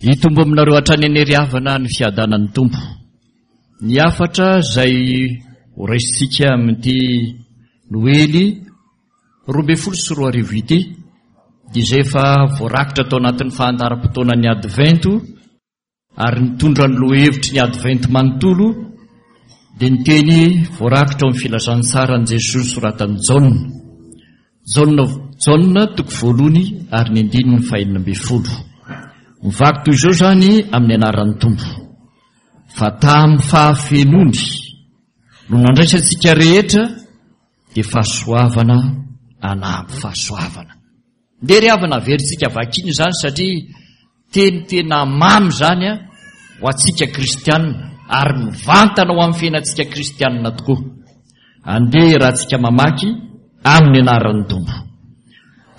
Hitombo aminareo hatrany anie ry havana ny fiadanan'ny Tompo. Ny hafatra izay ho raisintsika amin'ity Noely 2012 ity dia izay efa voarakitra tao anatin'ny fahandaram-potoanan'ny Advento ary nitondra ny lohahevitry ny Advento manontolo dia ny teny voarakitra ao amin'ny filazantsaran'i Jesoa nosoratan'i Jaona. Jaona, Jaona toko voalohany ary ny andininy fahenina ambin'ny folo. Mivaky toy izao izany amin'ny anaran'ny Tompo. Fa tamin'ny fahafenoany no nandraisantsika rehetra dia fahasoavana anampy fahasoavana. Ndeha ry havana averintsika vakiana izany satria teny tena mamy izany a ho antsika kristianina ary mivantana ho amin'ny fiainantsika kristianina tokoa. Andeha raha tsika mamaky amin'ny anaran'ny Tompo.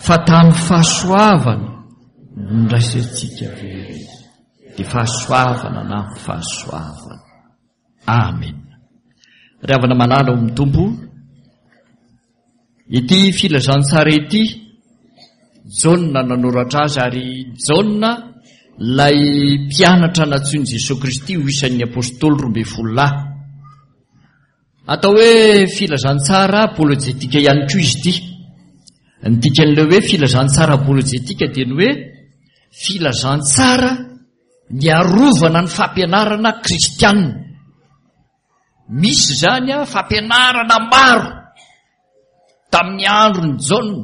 Fa tamin'ny fahasoavana no ndraisantsika very dia fahasoavana na fahasoavana. Amen. Ry havana malala ao amin'ny Tompo, ity filazantsara ity, Jaona nanoratra azy ary Jaona ilay mpianatra nantsoin'i Jesoa Kristy ho isan'ny apôstôly 12 lahy. Atao hoe filazantsara apôlôjetika ihany koa izy ity. Ny dikan'ilay hoe filazantsara apôlôjetika dia ny hoe filazantsara niarovana ny fampianarana kristianina. Misy izany fampianarana maro tamin'ny andron'i Jaona.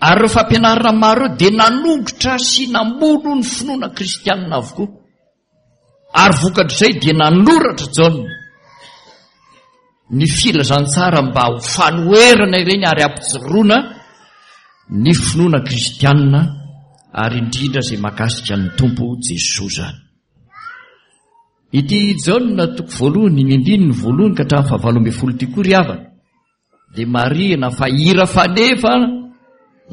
Ary ireo fampianarana maro ireo dia nanongotra sy namono ny finoana kristianina avokoa. Ary vokatr'izay dia nanoratra Jaona ny filazantsara mba ho fanoherana ireny ary hampijoroana ny finoana kristianina ary indrindra izay mahakasika ny Tompo Jesoa izany. Ity Jaona toko voalohany, ny andininy voalohany ka hatramin'ny fahavalo ambin'ny folo ity koa ry havana dia marihina fa hira faneva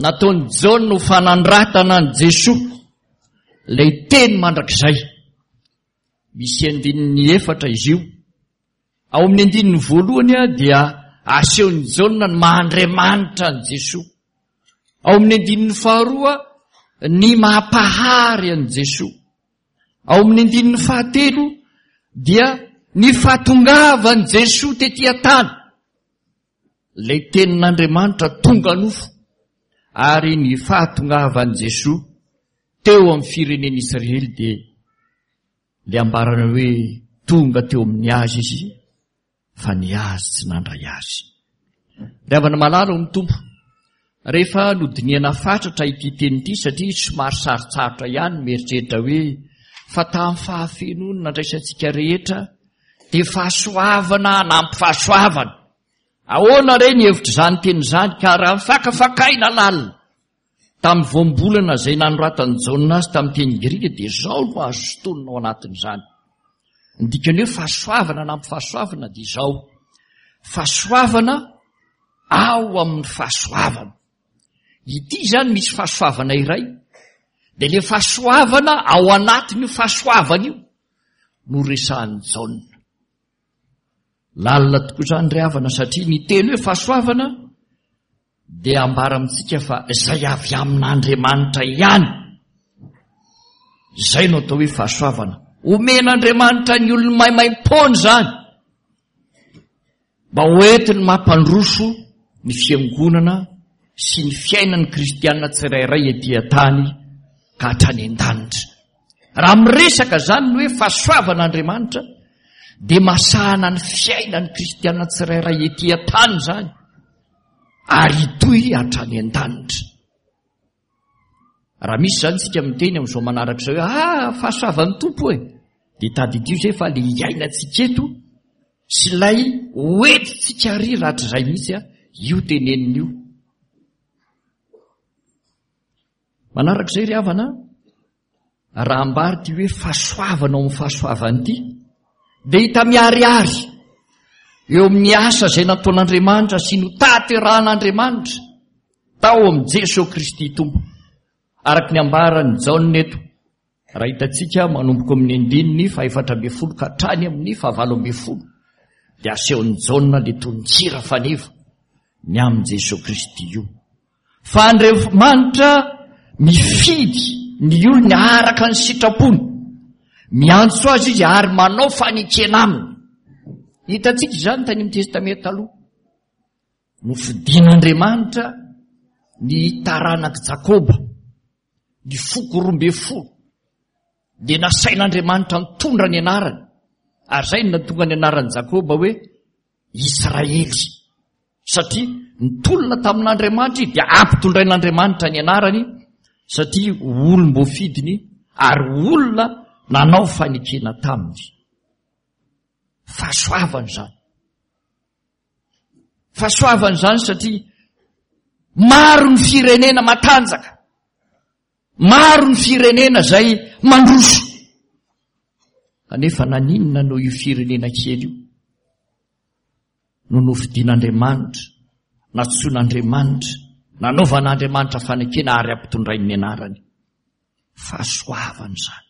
nataon'i Jaona ho fanandratana an'i Jesoa ilay teny mandrakizay. Misy andininy efatra izy io. Ao amin'ny andininy voalohany dia asehon'i Jaona ny maha Andriamanitra an'i Jesoa. Ao amin'ny andininy faharoa ny maha Mpahary an'i Jesoa. Ao amin'ny andininy fahatelo dia ny fahatongavan'i Jesoa tety an-tany, ilay tenin'Andriamanitra tonga nofo, ary ny fahatongavan'i Jesoa teo amin'ny firenen'Israely dia ilay ambarana hoe tonga teo amin'ny azy izy fa ny azy tsy nandray azy. Ry havana malala ao amin'ny Tompo, rehefa nodinihana fatratra ity teny ity satria somary sarotsarotra ihany ny mieritreritra hoe fa tamin'ny fahafenoany nandraisantsika rehetra dia fahasoavana hanampy fahasoavana. Ahoana re ny hevitr'izany teny izany ka raha fakafakaina lalina Tamin'ny voambolana izay nanoratan'i Jaona azy tamin'ny teny grika dia izao no azo sintonina ao anatin'izany. Ny dikan'ny hoe fahasoavana anampy fahasoavana dia izao. Fahasoavana ao amin'ny fahasoavana. Ity izany misy fahasoavana iray, dia ilay fahasoavana ao anatin'io fahasoavana io no resahan'i Jaona. Lalina tokoa izany ry havana satria ny teny hoe fahasoavana dia ambara amintsika fa izay avy amin'Andriamanitra ihany. Izay no atao hoe fahasoavana. Omen'Andriamanitra ny olony maimaim-poana izany mba hoentiny mampandroso ny fiangonana sy ny fiainan'ny kristiana tsirairay ety an-tany ka hatrany an-danitra. Raha miresaka izany ny hoe fahasoavan'Andriamanitra dia masahana ny fiainan'ny kristiana tsirairay ety an-tany izany. ary hitohy hatrany an-danitra. Raha misy izany tsika miteny amin'izao manaraka izao hoe ah fahasoavan'ny Tompo e, dia tadidio izay fa le iainantsika eto sy ilay hoentintsika ary rahatrizay mihitsy a, io teneniny io. Manaraka izay ry havana, Raha ambara ity hoe fahasoavana ao amin'ny fahasoavana ity, dia hita miharihary eo amin'ny asa izay nataon'Andriamanitra sy notaterahan'Andriamanitra tao amin'i Jesoa Kristy Tompo. Araka ny ambaran'i Jaona eto, raha hitantsika manomboka amin'ny andininy fahefatra ambin'ny folo ka hatrany amin'ny fahavalo ambin'ny folo, dia asehon'i Jaona ilay tonon-kira faneva ny amin'i Jesoa Kristy io. Fa Andriamanitra mifidy. ny olony araka ny sitrapony. Miantso azy izy ary manao fanekena aminy. Hitantsika izany tany amin'ny Testamenta Taloha. Nofidin'Andriamanitra ny taranak'i Jakoba, ny foko 12. Dia nasain'Andriamanitra nitondra ny anarany. Ary izay no nahatonga ny anaran'i Jakoba hoe Israely. Satria nitolona tamin'Andriamanitra izy dia ampitondrain'Andriamanitra ny anarany satria olom-boafidiny ary olona nanao fanekena taminy. Fahasoavana izany. Fahasoavana izany satria maro ny firenena matanjaka. Maro ny firenena izay mandroso. Kanefa naninona no io firenena kely io no nofidin'Andriamanitra, natsoin'Andriamanitra, nanaovan'Andriamanitra fanekena ary ampitondrainy ny anarany. Fahasoavana izany.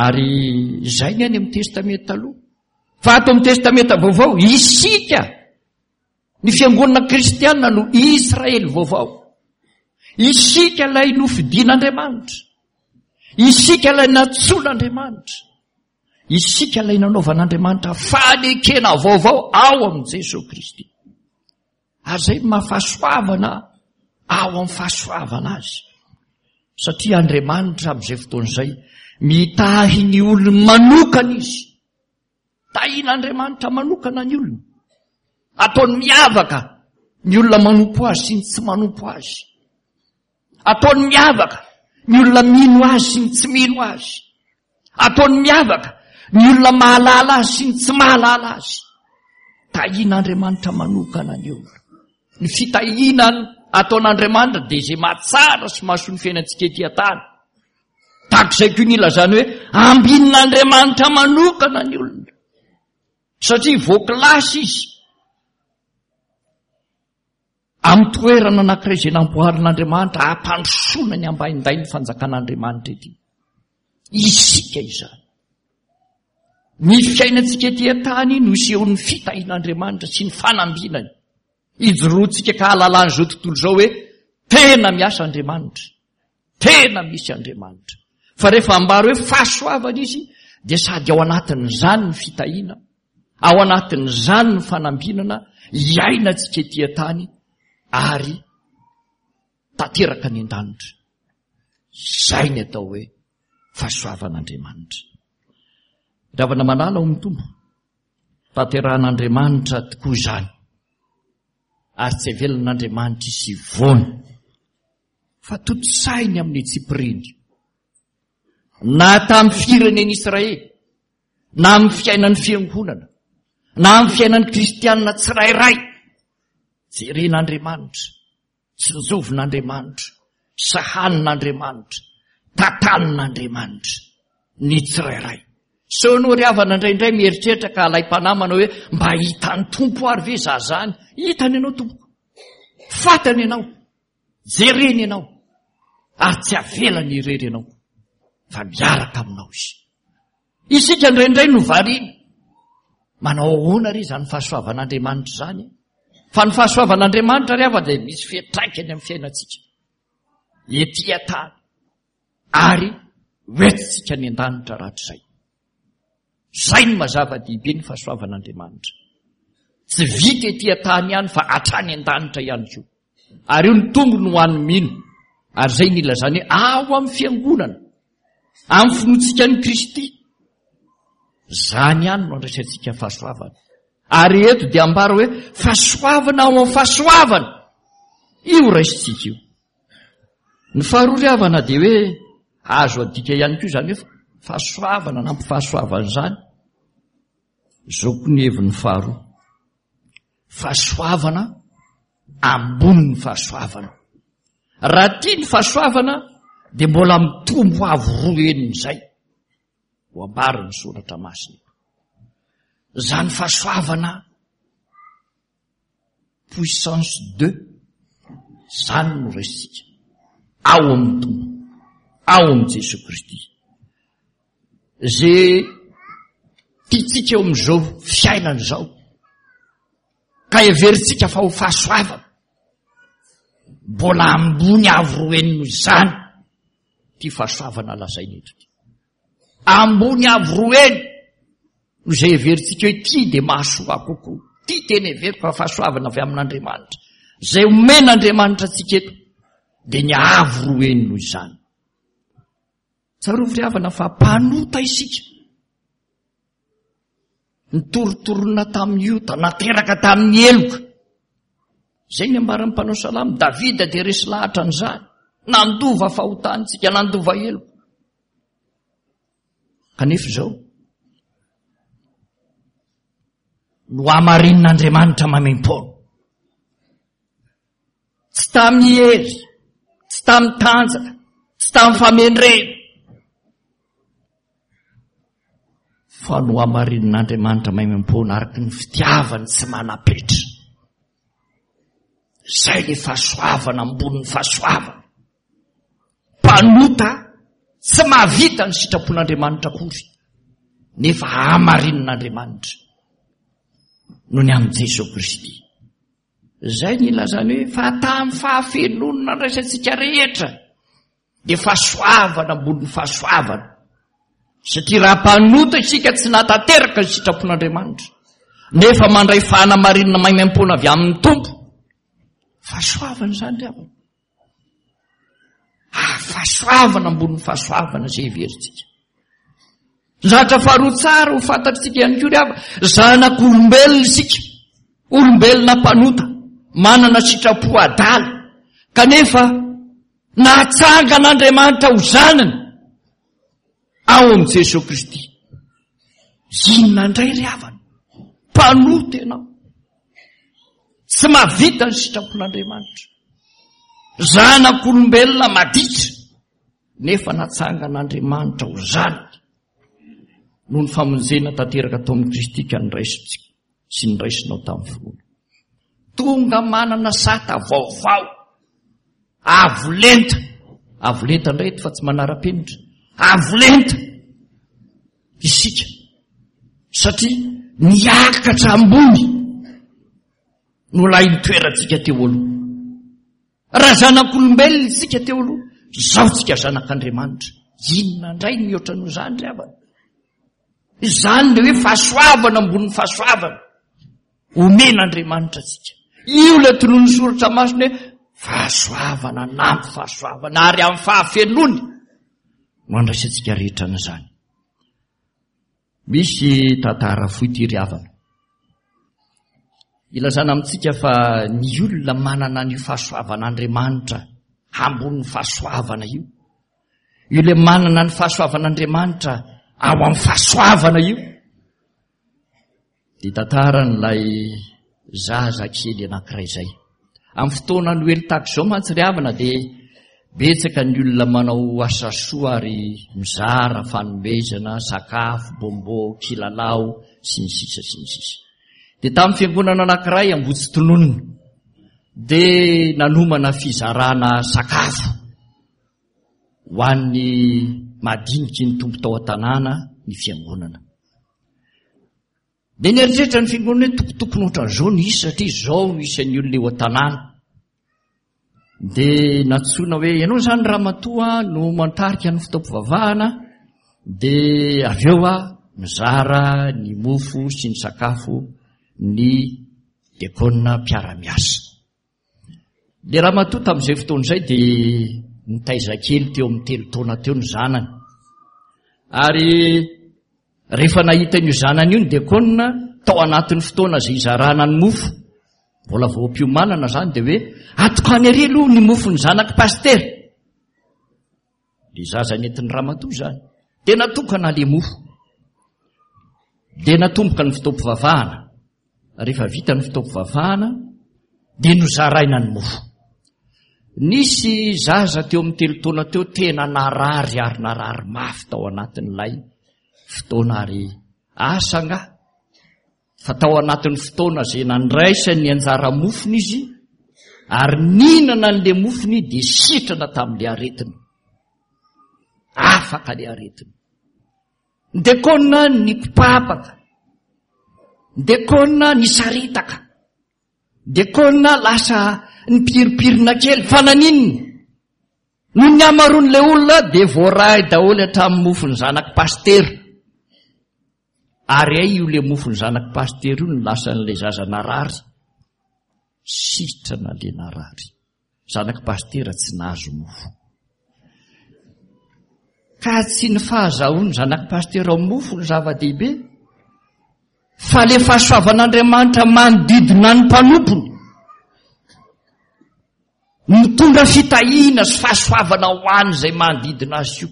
Ary izay ny any amin'ny Testamenta Taloha. Fa ato amin'ny Testamenta Vaovao, isika Ny fiangonana kristiana no Israely vaovao. Isika ilay nofidin'Andriamanitra. Isika ilay nantsoin'Andriamanitra. Isika ilay nanaovan'Andriamanitra fanekena vaovao ao amin'i Jesoa Kristy. Ary izay no mahafahasoavana ao amin'ny fahasoavana azy. Satria Andriamanitra amin'izay fotoana izay mitahy ny olony manokana izy. Tahin'Andriamanitra manokana ny olona. Ataony miavaka ny olona manompo azy sy ny tsy manompo azy. Ataony miavaka ny olona mino azy sy ny tsy mino azy. Ataony miavaka ny olona mahalala azy sy ny tsy mahalala azy. Tahin'Andriamanitra manokana ny olona. Ny fitahiana ataon'Andriamanitra dia izay mahatsara sy mahasoa ny fiainantsika ety an-tany. Tahaka izay koa ny ilazany hoe ambinin'Andriamanitra manokana ny olona. Satria voakilasy izy amin'ny toerana anankiray izay namboarin'Andriamanitra hampandrosoana ny ambaindain'ny fanjakan'Andriamanitra ety. Isika izany. Ny fiainantsika ety an-tany no isehoan'ny fitahian'Andriamanitra sy ny fanambinany. Ijoroantsika ka hahalalan'izao tontolo izao hoe tena miasa Andriamanitra. Tena misy Andriamanitra. Fa rehefa ambara hoe fahasoavana izy dia sady ao anatin'izany ny fitahiana, ao anatin'izany ny fanambinana iainantsika ety an-tany ary tanteraka any an-danitra. Izay ny atao hoe fahasoavan'Andriamanitra. Ravana malala ao amin'ny Tompo. Tanterahan'Andriamanitra tokoa izany. Ary tsy avelan'Andriamanitra izy hivoana. Fa tontosainy amin'ny antsipiriany. Na tamin'ny firenen'Israely, na amin'ny fiainan'ny fiangonana, na amin'ny fiainan'ny kristianina tsirairay. Jeren'Andriamanitra, tsinjovin'Andriamanitra, sahanin'Andriamanitra, tantanin'Andriamanitra ny tsirairay. Sao ianao ry havana indraindray mieritreritra ka alaim-panahy manao hoe mba hitan'ny Tompo ary ve za zany? Hitany ianao tompoko. Fantany ianao. Jereny ianao ary tsy avelany irery ianao fa miaraka aminao izy. Isika indraindray no variana. Manao ahoana re izany fahasoavan'Andriamanitra izany? Fa ny fahasoavan'Andriamanitra ry havana dia misy fiantraikany amin'ny fiainantsika. Ety an-tany ary hoentintsika any an-danitra rahatrizay. Izay no mazava-dehibe ny fahasoavan'Andriamanitra. Tsy vita ety an-tany ihany fa hatrany an-danitra ihany koa. Ary io ny tombony ho an'ny mino. Ary izay ny ilazany hoe ao amin'ny fiangonana, amin'ny finoantsika an'i Kristy. Izany ihany no andraisantsika fahasoavana. Ary eto dia ambara hoe fahasoavana ao amin'ny fahasoavana. Io raisintsika io. Ny faharoa ry havana dia hoe azo adika ihany koa izany hoe fahasoavana na ampifahasoavana izany. Izao koa ny heviny faharoa. Fahasoavana ambonin'ny fahasoavana. Raha tia ny fahasoavana dia mbola mitombo avo roa henin'izay. Ho ambarin'ny soratra masina. Izany fahasoavana puissance deux zany no raisintsika ao amin'ny Tompo, ao amin'i Jesoa Kristy. Ze tiantsika eo amin'izao fiainana izao ka heverintsika fa ho fahasoavana, mbola ambony avo roa heny noho izany. Ity fahasoavana lazaina eto ity. Ambony avo roa heny no izay heverintsika hoe ity dia mahasoa kokoa. Ity tena heveriko fa fahasoavana avy amin'Andriamanitra. Izay omen'Andriamanitra antsika eto dia ny avo roa heny noho izany. Tsarovy ry havana fa mpanota isika. Nitorotorona tamin'ny ota, nateraka tamin'ny heloka. Izay ny ambaran'ny mpanao salamo, Davida dia resy lahatra an'izany. Nandova fahotana isika, nandova heloka. Kanefa izao, nohamarinin'Andriamanitra maimaimpoana. Tsy tamin'ny hery, tsy tamin'ny tanjaka, tsy tamin'ny famendrena. Fa nohamarinin'Andriamanitra maimaimpoana araka ny fitiavany tsy manam-petra. Izay le fahasoavana ambonin'ny fahasoavana. Mpanota tsy mahavita ny sitrapon'Andriamanitra akory, nefa hamarinin'Andriamanitra noho ny amin'i Jesoa Kristy. Izay ny ilazany hoe fa tamin'ny fahafenoany nandraisantsika rehetra dia fahasoavana ambonin'ny fahasoavana. Satria raha mpanota isika tsy nahatanteraka ny sitrapon'Andriamanitra, nefa mandray fanamarinana maimaimpoana avy amin'ny Tompo, fahasoavana izany ry havana. Ah, fahasoavana ambonin'ny fahasoavana izay heverintsika. Ny zavatra faharoa tsara ho fantatritsika ihany koa ry hava, zanak'olombelona isika, olombelona mpanota, manana sitrapo adala, kanefa natsangan'Andriamanitra ho zanany ao amin'i Jesoa Kristy. Inona indray ry havana? Mpanota ianao. Tsy mahavita ny sitrapon'Andriamanitra. Zanak'olombelona maditra nefa natsangan'Andriamanitra ho zanaka noho ny famonjena tanteraka tao amin'i Kristy ka niraisintsika sy niraisinao tamin'ny finoana. Tonga manana sata vaovao avo lenta, avo lenta indray eto fa tsy manara-penitra, avo lenta isika satria niakatra ambony no lahin'ny toerantsika teo aloha. Raha zanak'olombelona isika teo aloha, izao tsika zanak'Andriamanitra. Inona indray ny mihoatra noho izany ry havana? Izany le hoe fahasoavana ambonin'ny fahasoavana omen'Andriamanitra antsika. Io ilay tonon'ny soratra masina hoe fahasoavana nampy fahasoavana ary amin'ny fahafenoany no andraisantsika rehetra an'izany. Misy tantara fohy ity ry havana. Ilazana amintsika fa ny olona manana an'io fahasoavan'Andriamanitra ambonin'ny fahasoavana io. Io ilay manana ny fahasoavan'Andriamanitra ao amin'ny fahasoavana io. Dia tantaran'ilay zaza kely anankiray izay. Amin'ny fotoana Noely tahaka izao mantsy ry havana dia betsaka ny olona manao asa soa ary mizara fanomezana, sakafo, bonbon, kilalao, sy ny sisa sy ny sisa. Dia tamin'ny fiangonana anankiray Ambohitsitononina dia nanomana fizarana sakafo ho an'ny madiniky ny Tompo tao an-tanàna ny fiangonana. Dia nieritreritra ny fiangonana hoe tokotokony ohatran'izao ny isa satria izao no isan'ny olona eo an-tanàna. Dia nantsoina hoe ianao izany ramatoa no mantarika ny fotoam-pivavahana dia avy eo a mizara ny mofo sy ny sakafo ny dekona mpiara-miasa. Ilay ramatoa tamin'izay fotoana izay dia nitaiza kely teo amin'ny telo taona teo ny zanany. Ary rehefa nahita an'io zanany io ny dekona tao anatin'ny fotoana izay izarana ny mofo, mbola vao am-piomanana izany dia hoe atokany ery aloha ny mofon'ny zanak'i pasitera. Ilay zaza nentin'ny ramatoa izany. Dia natokana ilay mofo. Dia natomboka ny fotoam-pivavahana. Rehefa vita ny fotoam-pivavahana dia nozaraina ny mofo. Nisy zaza teo amin'ny telo taona teo tena narary ary narary mafy tao anatin'ilay fotoana ary asa angaha fa tao anatin'ny fotoana izay nandraisany ny anjara mofony izy ary nihinana an'ilay mofony dia sitrana tamin'ilay aretina. Afaka ilay aretina. Ny dekona nikopapaka. Ny dekona nisaritaka. Ny dekona lasa nipirimpirina kely. Fa naninona? Noho ny hamaroan'ilay olona dia voaray daholo hatramin'ny mofon'ny zanak'i pasitera. Ary hay io le mofon'ny zanak'i pasitera io no lasan'ilay zaza narary. Sitrana le narary. Zanak'i pasitera tsy nahazo mofo. Ka tsy ny fahazahoan'ny zanak'i pasitera mofo no zava-dehibe, fa le fahasoavan'Andriamanitra manodidina ny mpanompony. Mitondra fitahiana sy fahasoavana ho an'izay manodidina azy io.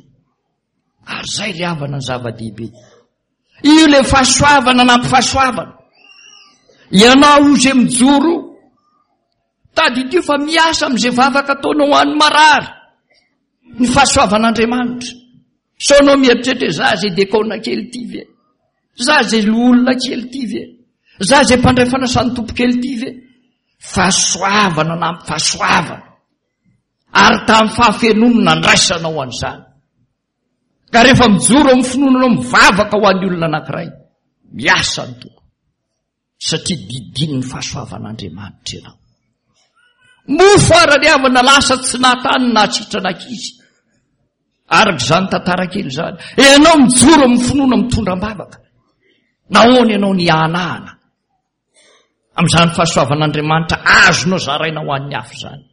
Ary izay ry havana ny zava-dehibe. Io ilay fahasoavana nampifahasoavana. Ianao io izay mijoro, tadidio fa miasa amin'izay vavaka ataonao ho an'ny marary. Ny fahasoavan'Andriamanitra. Sao anao mieritreritra hoe za izay dekona kely ity ve? Za izay loholona kely ity ve? Za izay mpandray fanasan'ny tompo kely ity ve? Fahasoavana nampy fahasoavana. Ary tamin'ny fahafenoany no nandraisanao an'izany. Ka rehefa mijoro amin'ny finoana anao mivavaka ho an'ny olona anankiray, miasa ny Tompo. Satria didinin'ny fahasoavan'Andriamanitra ianao. Mofo ara ny havana lasa tsy nahatany na sitrana ankizy. Araka izany tantara kely izany. Ianao mijoro amin'ny finoana mitondra am-bavaka. Nahoana ianao nihanahana? Amin'izany fahasoavan'Andriamanitra azonao zaraina ho an'ny hafa izany.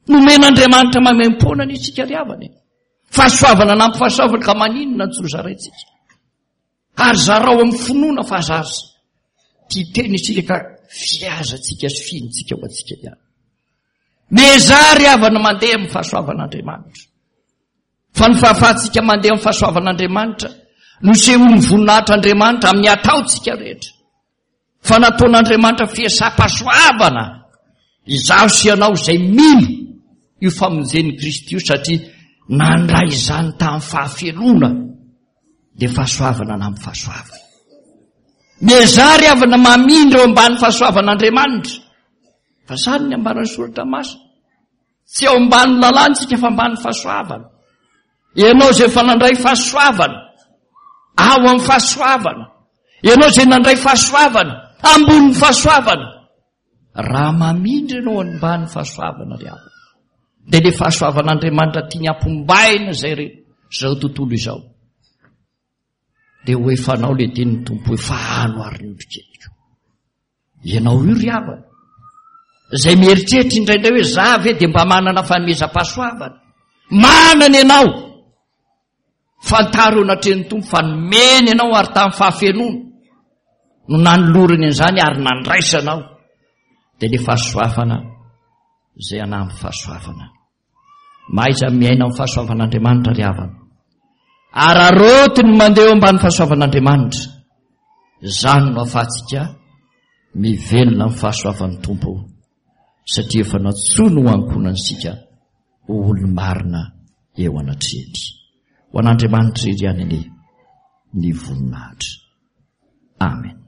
Nomen'Andriamanitra maimaimpoana ny isika ry havana e. Fahasoavana nampy fahasoavana ka maninona tsy ho zaraintsika. Ary zarao amin'ny finoana fa aza aza tia tena isika ka fihazantsika sy fihintsika ho antsika ihany. Miezaha ry havana mandeha amin'ny fahasoavan'Andriamanitra. Fa ny fahafahantsika mandeha amin'ny fahasoavan'Andriamanitra no sehon'ny voninahitr'Andriamanitra amin'ny ataontsika rehetra. Fa nataon'Andriamanitra fiasam-pahasoavana izaho sy ianao izay mino io famonjen'i Kristy io satria nandray izany tamin'ny fahafenoana dia fahasoavana na amin'ny fahasoavana. Miezaha ry havana mamindra eo ambany fahasoavan'Andriamanitra. Fa izany ny ambaran'ny soratra masina. Tsy eo ambany lalàna isika fa ambany fahasoavana. Ianao izay efa nandray fahasoavana, ao amin'ny fahasoavana. Ianao izay nandray fahasoavana, ambonin'ny fahasoavana. Raha mamindra ianao ambany fahasoavana ry havana, dia ilay fahasoavan'Andriamanitra tiany hampombaina izay re izao tontolo izao. Dia ho efanao ilay tenin'ny Tompo hoe fahano ary ny ondrikeliko. Ianao io ry havana, izay mieritreritra indraindray hoe za ve dia mba manana fanomezam-pahasoavana. Manana ianao. Fantaro eo anatrehan'ny Tompo fa nomeny ianao ary tamin'ny fahafenoana no nanolorany an'izany ary nandraisanao. Dia ilay fahasoavana izay anampy fahasoavana. Mahaiza miaina amin'ny fahasoavan'Andriamanitra ry havana. Araraoty ny mandeha eo ambany fahasoavan'Andriamanitra. Izany no ahafahantsika mivelona amin'ny fahasoavan'ny Tompo satria efa nantsoiny ho ankohonantsika ho olo-marina eo anatrehany. Ho an'Andriamanitra irery ihany anie ny voninahitra. Amen.